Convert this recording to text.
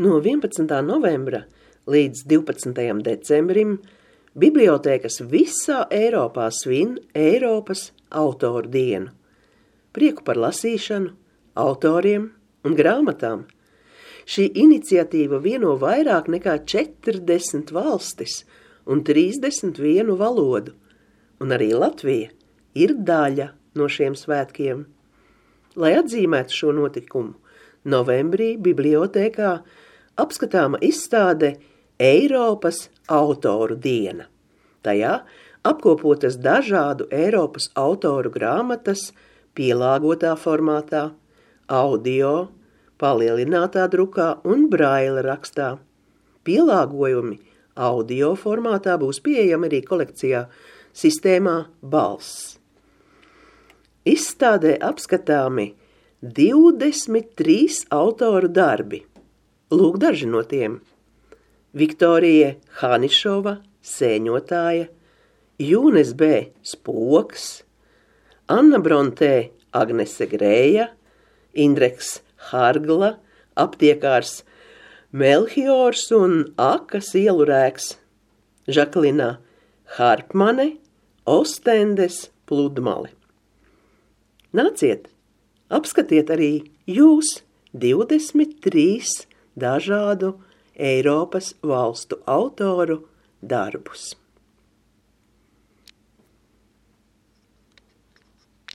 No 11. novembra līdz 12. decembrim bibliotēkas visā Eiropā svin Eiropas autoru dienu. Prieku par lasīšanu, autoriem un grāmatām. Šī iniciatīva vieno vairāk nekā 40 valstis un 31 valodu, un arī Latvija ir daļa no šiem svētkiem. Lai atzīmētu šo notikumu, novembrī bibliotēkā apskatāma izstāde Eiropas autoru diena. Tajā apkopotas dažādu Eiropas autoru grāmatas pielāgotā formātā, audio, palielinātā drukā un braila rakstā. Pielāgojumi audio formātā būs pieejami arī kolekcijā sistēmā Balss. Izstādē apskatāmi 23 autoru darbi. Lūk daži no tiem. Viktorija Hanišova, sēņotāja, Jūnes B. Spoks, Anna Brontē, Agnese Grēja, Indreks Hargla, aptiekārs Melchiors un Akas ielurēks, Žaklina Harpmane, Ostendes pludmale. Nāciet, apskatiet arī jūs 23 dažādu Eiropas valstu autoru darbus.